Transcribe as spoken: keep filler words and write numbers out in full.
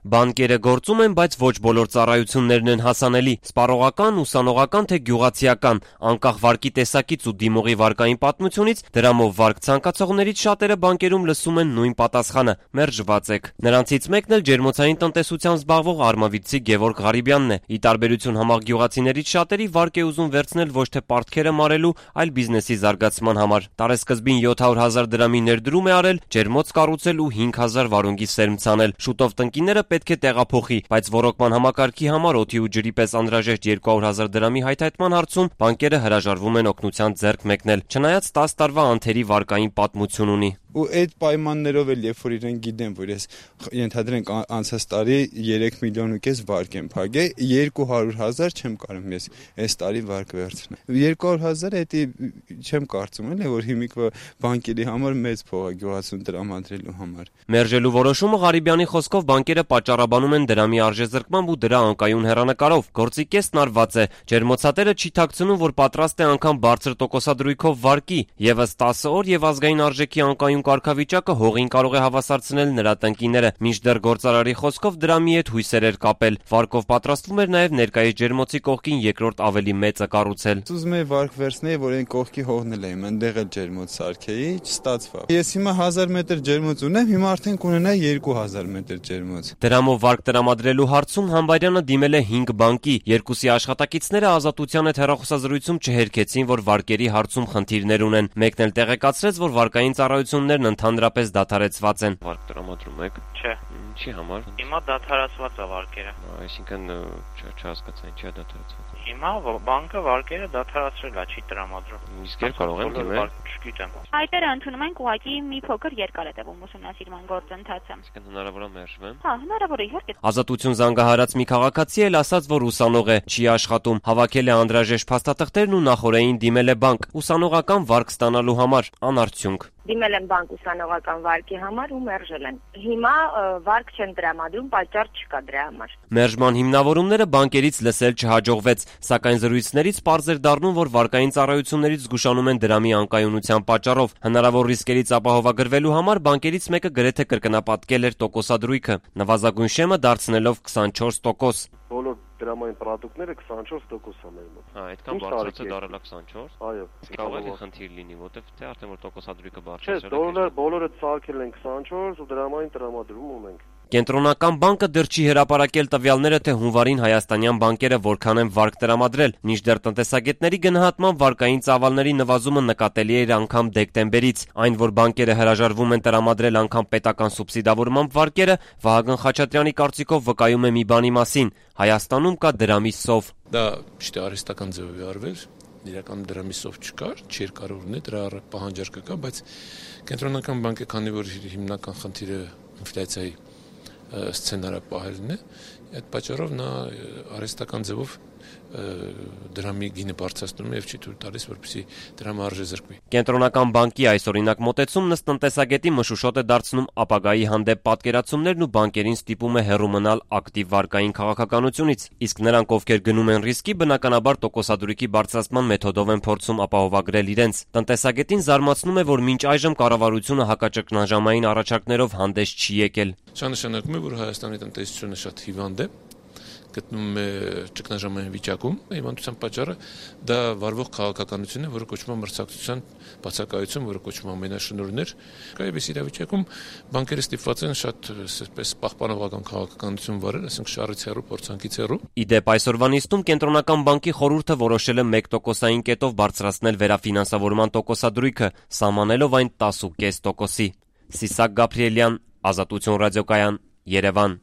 Բանկերը գործում են, բայց ոչ բոլոր ծառայություններն են հասանելի։ Սպառողական, ուսանողական թե գյուղացիական, անկախ վարկի տեսակից ու դիմողի վարկային պատմությունից, դրամով վարկ ցանկացողներից շատերը բանկերում լսում են նույն պատասխանը՝ մերժված եք։ Նրանցից մեկն էլ ջերմոցային տնտեսությամբ զբաղվող արմավիրցի Գևորգ Ղարիբյանն է։ Ի տարբերություն համառ գյուղացիներից շատերի վարկ է ուզում վերցնել ոչ թե պարտքերը մարելու, այլ բիզնեսի զարգացման համար։ Տարեսկզբին յոթ հարյուր հազար դրամի ներդրում է արել, ջերմոց կառուցել ու հինգ հազար վարունգի սերմ ցանել։ Շուտով տնկիները պետք է տեղափոխի, բայց ոռոգման համակարգի համար օդի ու ջրի պես անհրաժեշտ երկու հարյուր հազար դրամի հայթայթման հարցում բանկերը հրաժարվում են օգնության ձեռք մեկնել, չնայած տասը տարվա անթերի վարկային պատմություն ունի։ Ու այդ պայմաններով էլ երբ որ իրեն գիտեն, որ ես ենթադրենք անցած տարի երեք միլիոն ու կես վարկ եմ փակել, երկու հարյուր հազար չեմ կարող ես այս տարի վարկ վերցնել։ երկու հարյուր հազարը դա չեմ կարծում էլ որ հիմիկվա բանկերի համար մեծ փող է գյուղացուն տրամադրելու համար։ Մերժելու որոշումը Ղարիբյանի խոսքով բանկերը պատճառաբանում են դրամի արժեզրկմամբ ու դրա անկայուն հեռանկարով։ Գործի կեսն արված է։ Ջերմոցատերը չի թաքցնում, որ պատրաստ է անգամ բարձր տոկոսադրույքով վարկի, եւս տասը օր եւ ազգային արժեքի անկայուն կարգավիճակը հողին կարող է հավասարցնել նրա տնկիները, մինչդեռ գործարարի խոսքով դրամի հետ հույսեր էր կապել։ Վարկով պատրաստվում էր նաև ներկայիս ջերմոցի կողքին երկրորդ ավելի մեծը կառուցել։ Ուզում էի վարկ վերցնել, որ այն կողքի հողնել եմ, այնտեղ էլ ջերմոց սարքեի, չստացվավ։ Ես հիմա հազար մետր ջերմոց ունեմ, հիմա արդեն կունենայի երկու հազար մետր ջերմոց։ Դրամով վարկ տրամադրելու հարցում Համբարյանը դիմել է հինգ բանկի, երկուսի աշխատակիցները Ազատության հետ հեռախոսազրույցում չհերքեցին, որ վարկերի հարցում խնդիրներ ունեն։ Մեկն էլ տեղեկացրեց, որ վարկային ծառայություններն ընդհանրապես դադարեցված են։ Վարկ տրամադրում եք։ Չէ։ Ինչի համար։ Հիմա դադարեցված է վարկերը։ Այսինքն չհասկացա ինչի է դադարեցված։ Հիմա բանկը վարկերը դադարեցրել է, չի տրամադրում։ Իսկ երբ կարող եմ դիմել։ Չգիտեմ։ Հայտերը ընդունում ենք ուղղակի մի փոքր երկար է տևում ուսումնասիրման գործընթացը։ Այսինքն հնարավոր է մերժվեմ։ Հա, հնարավոր է իհարկե։ Ազատություն զանգահարած մի քաղաքացի էլ ասաց, որ ուսանող է, չի աշխատում, հավաքել է անհրաժեշտ փաստաթղթերն ու նախօրեին դիմել է բանկ ուսանողական վարկ ստանալու համար, անարդյունք։ Դիմել եմ բանկ ուսանողական վարկի համար ու մերժել են։ Հիմա վարկ չեն տրամադրում, պատճառ չկա դրա համար։ Մերժման հիմնավորումները բանկերից լսել չհաջողվեց, սակայն զրույցներից պարզ էր դառնում, որ վարկային ծառայություններից զգուշանում են դրամի անկայունության պատճառով։ Հնարավոր ռիսկերից ապահովագրվելու համար բանկերից մեկը գրեթե կրկնապատկել էր տոկոսադրույքը, նվազագույն շեմը դարձնելով քսանչորս տոկոս։ Բոլոր դրամային պրոդուկտները քսանչորս տոկոս են մեր մոտ։ Հա, այդքան բարձրացը դարելա քսանչորս։ Այո։ Կարող է խնդիր լինի, որտեվ թե արդեն որ տոկոսադրույքը բարձրացել է։ Չէ, բոլորը բոլորը ցարկել են քսանչորս ու դրամային տրամադրում ունենք։ Կենտրոնական բանկը դեռ չի հրապարակել տվյալները, թե հունվարին հայաստանյան բանկերը որքան են վարկ տրամադրել, մինչդեռ տնտեսագետների գնահատման վարկային ծավալների նվազումը նկատելի էր անգամ դեկտեմբերից։ Այն, որ բանկերը հրաժարվում են տրամադրել անգամ պետական սուբսիդավորմամբ վարկերը, Վահագն Խաչատրյանի կարծիքով վկայում է մի բանի մասին՝ Հայաստանում կա դրամի սով։ Դա ճիշտ է արհեստական ձևով է արվել, իրականում դրամի սով չկար, չէր կարող ունենալ, դրա պահանջարկը կա, բայց կենտրոնական բանկը, քանի որ հիմնական խնդիրը ինֆլյացիայի սցենարը պահելն է, այդ պատճառով նա արհեստական ձևով դրամի գինը բարձրացնում է եւ չի թույլ տալիս, որպեսզի դրամը արժեզրկվի։ Կենտրոնական բանկի այսօրինակ մոտեցումն ըստ տնտեսագետի մշուշոտ է դարձնում ապագայի հանդեպ պատկերացումներն ու բանկերին ստիպում է հեռու մնալ ակտիվ վարկային քաղաքականությունից, իսկ նրանք, ովքեր գնում են ռիսկի, բնականաբար տոկոսադրույքի բարձրացման մեթոդով են փորձում ապահովագրել իրենց։ Տնտեսագետին զարմացնում է, որ մինչ այժմ կառավարությունը հակաճգնաժամային առաջարկներով հանդես չի եկել։ Սա նշանակում է, որ Հայաստանի տնտեսությունը շատ հիվանդ է, գտնվում է ճգնաժամային վիճակում, հիվանդության պատճառը դա վարվող քաղաքականություն է, որը կոչվում է մրցակցության բացակայություն, որը կոչվում է ամենաշնորհներ։ Այս իրավիճակում բանկերը ստիպված են շատ այսպես պահպանողական քաղաքականություն վարել, ասենք շարից հեռու, փորձանքից հեռու։ Իդեպ այսօրվա նիստում կենտրոնական բանկի խորհուրդը որոշել է մեկ տոկոսային կետով բարձրացնել վերաֆինանսավորման տոկոսադրույքը, սահմանելով այն տասը կես տոկոսի։ Սիսակ Գաբրիելյան, Ազատություն ռադիոկայան, Երևան։